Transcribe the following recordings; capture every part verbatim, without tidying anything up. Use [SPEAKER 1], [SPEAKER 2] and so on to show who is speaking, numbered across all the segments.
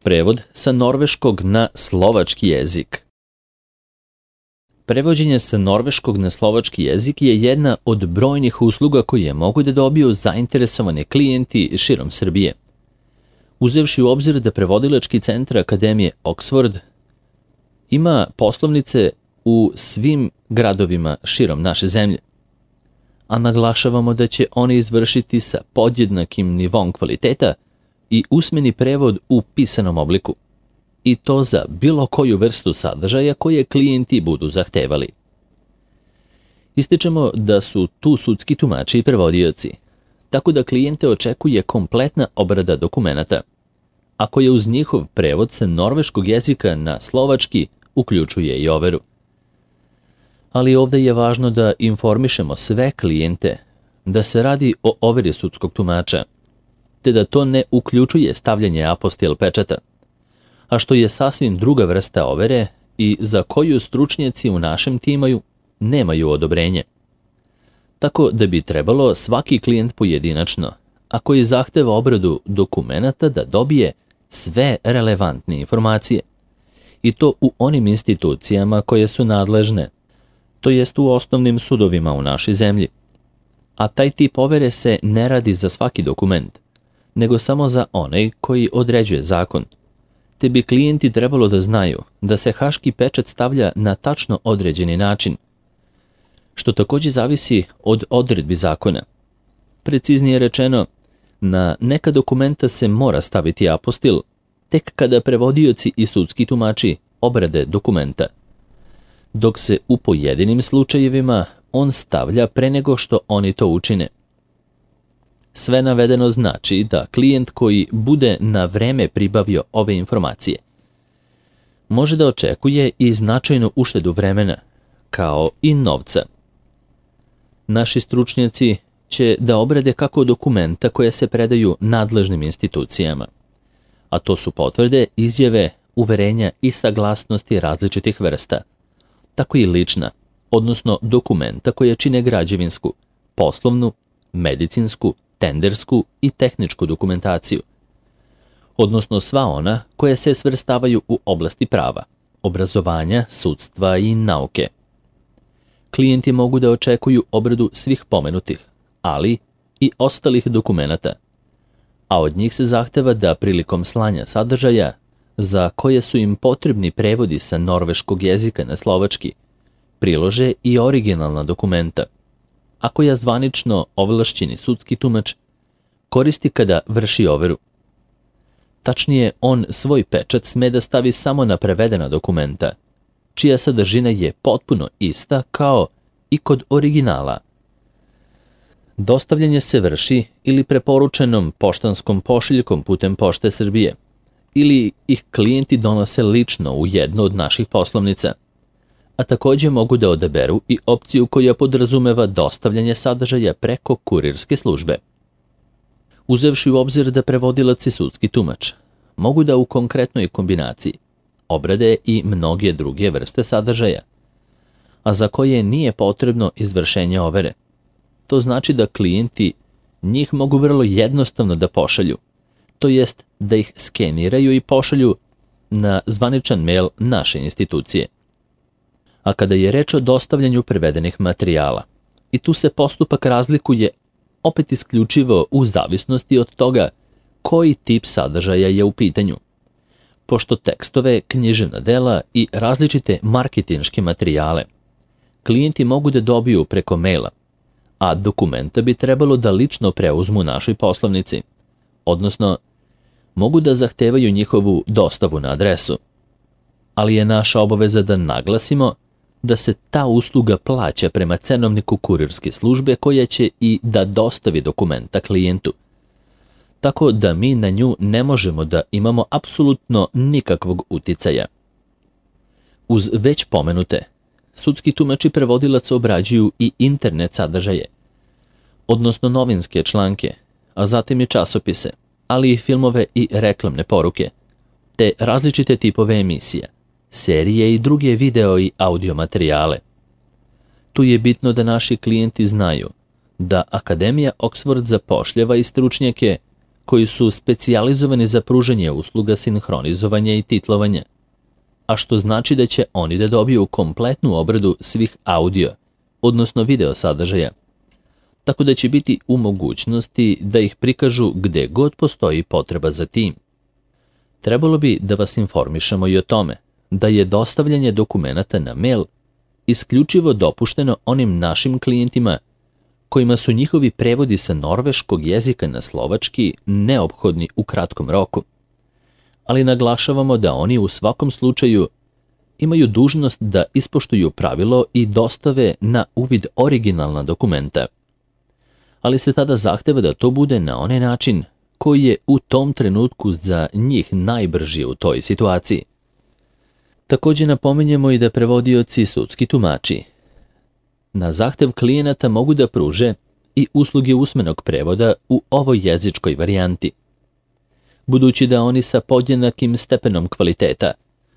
[SPEAKER 1] Prevod sa norveškog na slovački jezik. Prevođenje sa norveškog na slovački jezik je jedna od brojnih usluga koje mogu da dobiju zainteresovani klijenti širom Srbije. Uzevši u obzir da prevodilački centar Akademije Oxford ima poslovnice u svim gradovima širom naše zemlje, a naglašavamo da će oni izvršiti sa podjednakim nivom kvaliteta i usmeni prevod u pisanom obliku, i to za bilo koju vrstu sadržaja koje klijenti budu zahtevali. Ističemo da su tu sudski tumači i prevodioci, tako da klijente očekuje kompletna obrada dokumenata, ako je uz njihov prevod sa norveškog jezika na slovački uključuje i overu. Ali ovdje je važno da informišemo sve klijente da se radi o overi sudskog tumača, te da to ne uključuje stavljanje apostil pečata, a što je sasvim druga vrsta overe i za koju stručnjaci u našem timu nemaju odobrenje. Tako da bi trebalo svaki klijent pojedinačno, a koji zahteva obradu dokumenata, da dobije sve relevantne informacije, i to u onim institucijama koje su nadležne, to jest u osnovnim sudovima u našoj zemlji. A taj tip overe se ne radi za svaki dokument, nego samo za onaj koji određuje zakon, te bi klijenti trebalo da znaju da se haški pečat stavlja na tačno određeni način, što također zavisi od odredbi zakona. Preciznije rečeno, na neka dokumenta se mora staviti apostil tek kada prevodioci i sudski tumači obrade dokumenta, dok se u pojedinim slučajevima on stavlja pre nego što oni to učine. Sve navedeno znači da klijent koji bude na vreme pribavio ove informacije može da očekuje i značajnu uštedu vremena, kao i novca. Naši stručnjaci će da obrade kako dokumenta koje se predaju nadležnim institucijama, a to su potvrde, izjave, uverenja i saglasnosti različitih vrsta, tako i lična, odnosno dokumenta koje čine građevinsku, poslovnu, medicinsku, tendersku i tehničku dokumentaciju, odnosno sva ona koja se svrstavaju u oblasti prava, obrazovanja, sudstva i nauke. Klijenti mogu da očekuju obradu svih pomenutih, ali i ostalih dokumenata, a od njih se zahteva da prilikom slanja sadržaja za koje su im potrebni prevodi sa norveškog jezika na slovački prilože i originalna dokumenta, a koja zvanično ovlašćeni sudski tumač koristi kada vrši overu. Tačnije, on svoj pečat sme da stavi samo na prevedena dokumenta, čija sadržina je potpuno ista kao i kod originala. Dostavljanje se vrši ili preporučenom poštanskom pošiljkom putem Pošte Srbije, ili ih klijenti donose lično u jednu od naših poslovnica, a također mogu da odaberu i opciju koja podrazumeva dostavljanje sadržaja preko kurirske službe. Uzevši u obzir da prevodilac i sudski tumač mogu da u konkretnoj kombinaciji obrade i mnoge druge vrste sadržaja, a za koje nije potrebno izvršenje overe. To znači da klijenti njih mogu vrlo jednostavno da pošalju, to jest da ih skeniraju i pošalju na zvaničan mail naše institucije. A kada je reč o dostavljanju prevedenih materijala, i tu se postupak razlikuje opet isključivo u zavisnosti od toga koji tip sadržaja je u pitanju, pošto tekstove, književna dela i različite marketinške materijale klijenti mogu da dobiju preko maila, a dokumenta bi trebalo da lično preuzmu u našoj poslovnici, odnosno mogu da zahtevaju njihovu dostavu na adresu. Ali je naša obaveza da naglasimo da se ta usluga plaća prema cenovniku kurirske službe koja će i da dostavi dokumenta klijentu, tako da mi na nju ne možemo da imamo apsolutno nikakvog uticaja. Uz već pomenute, sudski tumači prevodilac obrađuju i internet sadržaje, odnosno novinske članke, a zatim i časopise, ali i filmove i reklamne poruke, te različite tipove emisija, serije i druge video i audio materijale. Tu je bitno da naši klijenti znaju da Akademija Oxford zapošljava i stručnjake koji su specijalizovani za pružanje usluga sinhronizovanja i titlovanja, a što znači da će oni da dobiju kompletnu obradu svih audio, odnosno video sadržaja, tako da će biti u mogućnosti da ih prikažu gde god postoji potreba za tim. Trebalo bi da vas informišemo i o tome da je dostavljanje dokumenata na mail isključivo dopušteno onim našim klijentima kojima su njihovi prevodi sa norveškog jezika na slovački neophodni u kratkom roku. Ali naglašavamo da oni u svakom slučaju imaju dužnost da ispoštuju pravilo i dostave na uvid originalna dokumenta. Ali se tada zahteva da to bude na onaj način koji je u tom trenutku za njih najbrži u toj situaciji. Također napominjemo i da prevodioci sudski tumači na zahtev klijenata mogu da pruže i usluge usmenog prevoda u ovoj jezičkoj varijanti. Budući da oni sa podjednakim stepenom kvaliteta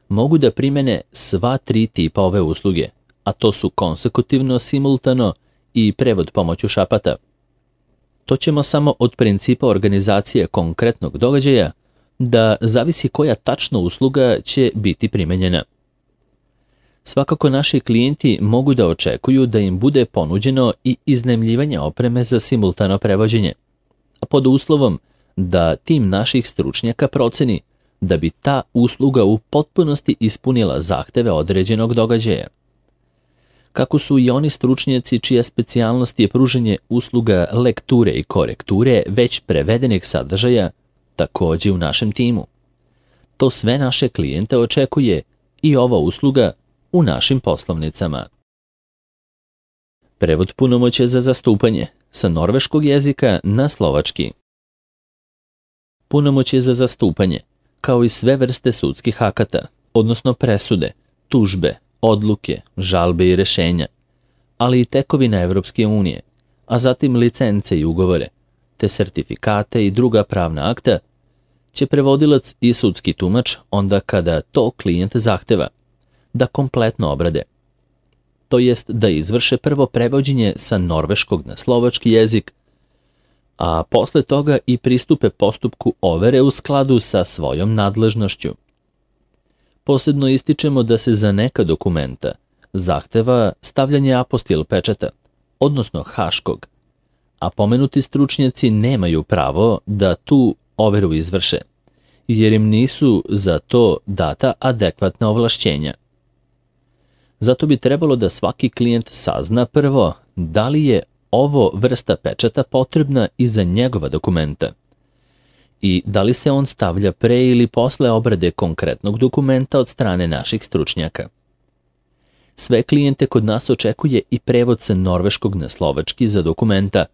[SPEAKER 1] mogu da primene sva tri tipa ove usluge, a to su konsekutivno, simultano i prevod pomoću šapata. To ćemo samo od principa organizacije konkretnog događaja da zavisi koja tačno usluga će biti primenjena. Svakako naši klijenti mogu da očekuju da im bude ponuđeno i iznajmljivanje opreme za simultano prevođenje, a pod uslovom da tim naših stručnjaka proceni da bi ta usluga u potpunosti ispunila zahteve određenog događaja. Kako su i oni stručnjaci čija specijalnost je pružanje usluga lekture i korekture već prevedenih sadržaja, također u našem timu. To sve naše klijente očekuje i ova usluga u našim poslovnicama. Prevod punomoćja za zastupanje sa norveškog jezika na slovački. Punomoćje za zastupanje, kao i sve vrste sudskih akata, odnosno presude, tužbe, odluke, žalbe i rešenja, ali i tekovina Evropske unije, a zatim licence i ugovore, te sertifikate i druga pravna akta, će prevodilac i sudski tumač onda kada to klijent zahteva, da kompletno obrade. To jest da izvrše prvo prevođenje sa norveškog na slovački jezik, a posle toga i pristupe postupku overe u skladu sa svojom nadležnošću. Posebno ističemo da se za neka dokumenta zahteva stavljanje apostil pečata, odnosno haškog, a pomenuti stručnjaci nemaju pravo da tu overu izvrše, jer im nisu za to data adekvatna ovlašćenja. Zato bi trebalo da svaki klijent sazna prvo da li je ovo vrsta pečata potrebna i za njegova dokumenta i da li se on stavlja pre ili posle obrade konkretnog dokumenta od strane naših stručnjaka. Sve klijente kod nas očekuje i prevod sa norveškog na slovački za dokumenta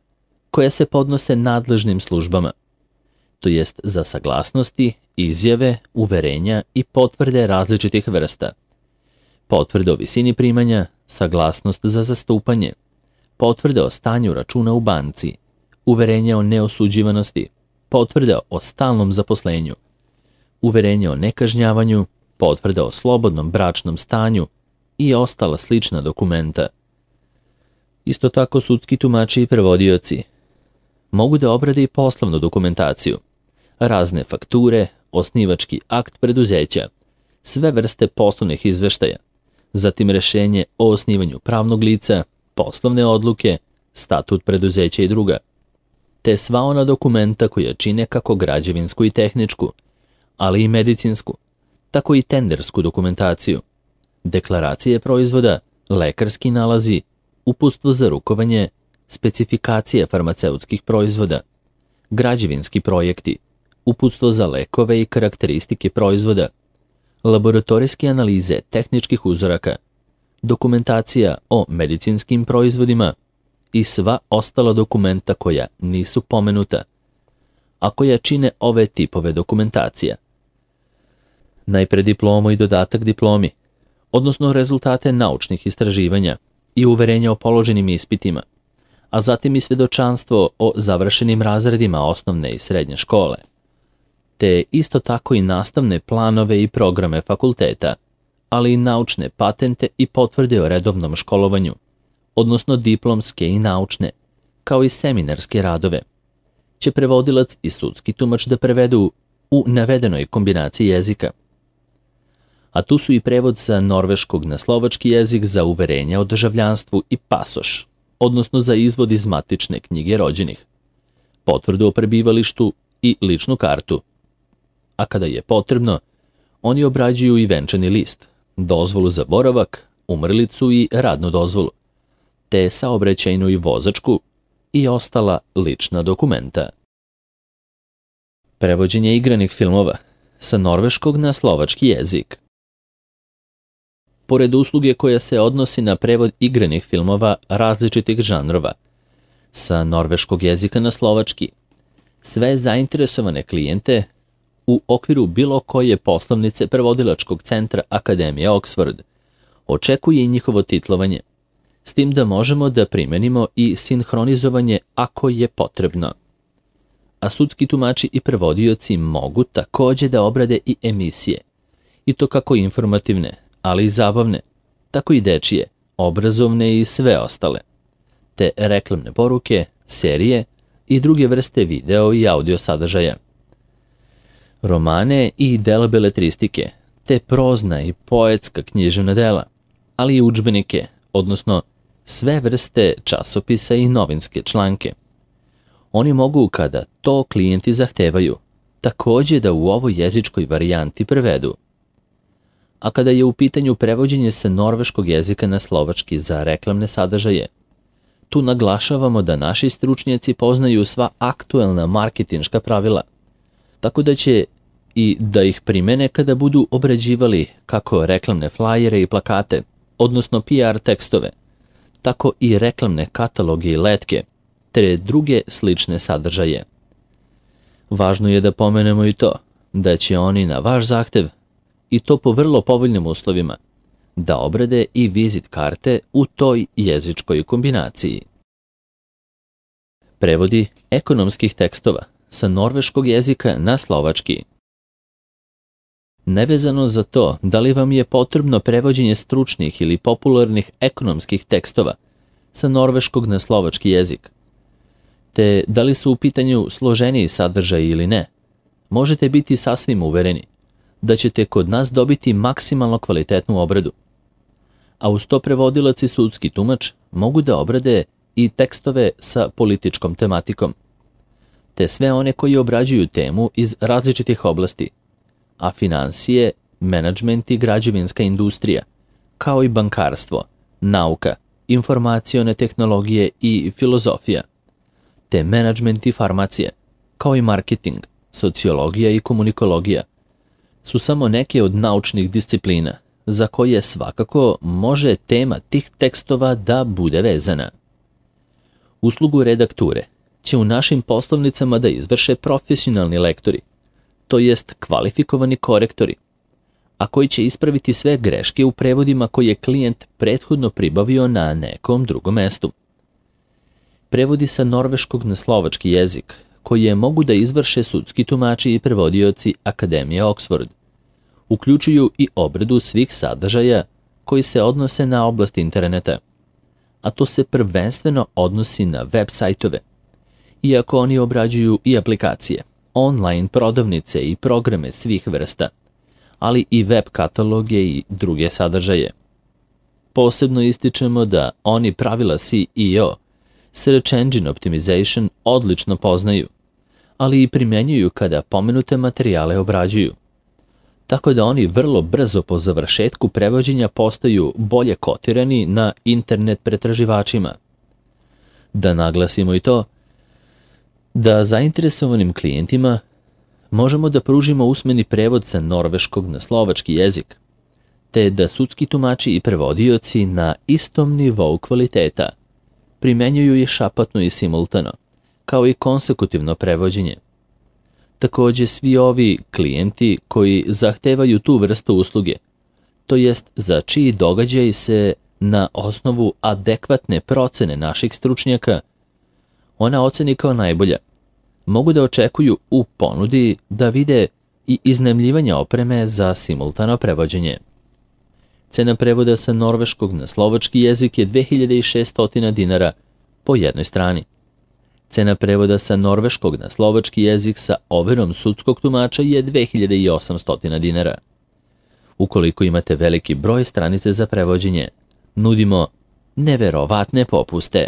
[SPEAKER 1] koja se podnose nadležnim službama, to jest za saglasnosti, izjave, uverenja i potvrde različitih vrsta, potvrde o visini primanja, saglasnost za zastupanje, potvrde o stanju računa u banci, uverenja o neosuđivanosti, potvrde o stalnom zaposlenju, uverenje o nekažnjavanju, potvrde o slobodnom bračnom stanju i ostala slična dokumenta. Isto tako sudski tumači i prevodioci mogu da obrade i poslovnu dokumentaciju, razne fakture, osnivački akt preduzeća, sve vrste poslovnih izveštaja, zatim rešenje o osnivanju pravnog lica, poslovne odluke, statut preduzeća i druga, te sva ona dokumenta koja čine kako građevinsku i tehničku, ali i medicinsku, tako i tendersku dokumentaciju, deklaracije proizvoda, lekarski nalazi, uputstvo za rukovanje, specifikacije farmaceutskih proizvoda, građevinski projekti, uputstvo za lekove i karakteristike proizvoda, laboratorijske analize tehničkih uzoraka, dokumentacija o medicinskim proizvodima i sva ostala dokumenta koja nisu pomenuta, a koja čine ove tipove dokumentacija. Najpre diplomu i dodatak diplomi, odnosno rezultate naučnih istraživanja i uverenja o položenim ispitima, a zatim i svedočanstvo o završenim razredima osnovne i srednje škole, te isto tako i nastavne planove i programe fakulteta, ali i naučne patente i potvrde o redovnom školovanju, odnosno diplomske i naučne, kao i seminarske radove, će prevodilac i sudski tumač da prevedu u navedenoj kombinaciji jezika. A tu su i prevod sa norveškog na slovački jezik za uverenja o državljanstvu i pasoš, odnosno za izvod iz matične knjige rođenih, potvrdu o prebivalištu i ličnu kartu. A kada je potrebno, oni obrađuju i venčani list, dozvolu za boravak, umrlicu i radnu dozvolu, te saobraćajnu i vozačku i ostala lična dokumenta. Prevođenje igranih filmova sa norveškog na slovački jezik. Pored usluge koja se odnosi na prevod igranih filmova različitih žanrova sa norveškog jezika na slovački, sve zainteresovane klijente u okviru bilo koje poslovnice prevodilačkog centra Akademije Oxford očekuje i njihovo titlovanje, s tim da možemo da primenimo i sinhronizovanje ako je potrebno. A sudski tumači i prevodioci mogu takođe da obrade i emisije, i to kako informativne, ali i zabavne, tako i dečije, obrazovne i sve ostale, te reklamne poruke, serije i druge vrste video i audio sadržaja. Romane i dela beletristike, te prozna i poetska književna dela, ali i udžbenike, odnosno sve vrste časopisa i novinske članke. Oni mogu, kada to klijenti zahtevaju, takođe da u ovoj jezičkoj varijanti prevedu. A kada je u pitanju prevođenje sa norveškog jezika na slovački za reklamne sadržaje, tu naglašavamo da naši stručnjaci poznaju sva aktuelna marketinška pravila, tako da će i da ih primene kada budu obrađivali kako reklamne flajere i plakate, odnosno P R tekstove, tako i reklamne kataloge i letke, te druge slične sadržaje. Važno je da pomenemo i to, da će oni na vaš zahtev, i to po vrlo povoljnim uslovima, da obrade i vizit karte u toj jezičkoj kombinaciji. Prevodi ekonomskih tekstova sa norveškog jezika na slovački. Nevezano za to da li vam je potrebno prevođenje stručnih ili popularnih ekonomskih tekstova sa norveškog na slovački jezik, te da li su u pitanju složeniji sadržaj ili ne, možete biti sasvim uvereni da ćete kod nas dobiti maksimalno kvalitetnu obradu. A uz to prevodilac i sudski tumač mogu da obrade i tekstove sa političkom tematikom, te sve one koji obrađuju temu iz različitih oblasti, a finansije, menadžment i građevinska industrija, kao i bankarstvo, nauka, informacione tehnologije i filozofija, te menadžment i farmacija, kao i marketing, sociologija i komunikologija, su samo neke od naučnih disciplina za koje svakako može tema tih tekstova da bude vezana. Uslugu redakture će u našim poslovnicama da izvrše profesionalni lektori, to jest kvalifikovani korektori, a koji će ispraviti sve greške u prevodima koje je klijent prethodno pribavio na nekom drugom mestu. Prevodi sa norveškog na slovački jezik, koje mogu da izvrše sudski tumači i prevodioci Akademije Oxford, uključuju i obradu svih sadržaja koji se odnose na oblast interneta, a to se prvenstveno odnosi na web sajtove, iako oni obrađuju i aplikacije, online prodavnice i programe svih vrsta, ali i web kataloge i druge sadržaje. Posebno ističemo da oni pravila S E O, Search Engine Optimization, odlično poznaju, ali i primenjuju kada pomenute materijale obrađuju, tako da oni vrlo brzo po završetku prevođenja postaju bolje kotirani na internet pretraživačima. Da naglasimo i to, da zainteresovanim klijentima možemo da pružimo usmeni prevod sa norveškog na slovački jezik, te da sudski tumači i prevodioci na istom nivou kvaliteta primenjuju i šapatno i simultano, kao i konsekutivno prevođenje. Takođe, svi ovi klijenti koji zahtevaju tu vrstu usluge, to jest za čiji događaj se na osnovu adekvatne procene naših stručnjaka ona oceni kao najbolja, mogu da očekuju u ponudi da vide i iznajmljivanje opreme za simultano prevođenje. Cena prevoda sa norveškog na slovački jezik je dve hiljade šeststo dinara po jednoj strani. Cena prevoda sa norveškog na slovački jezik sa overom sudskog tumača je dve hiljade osamsto dinara. Ukoliko imate veliki broj stranice za prevođenje, nudimo neverovatne popuste.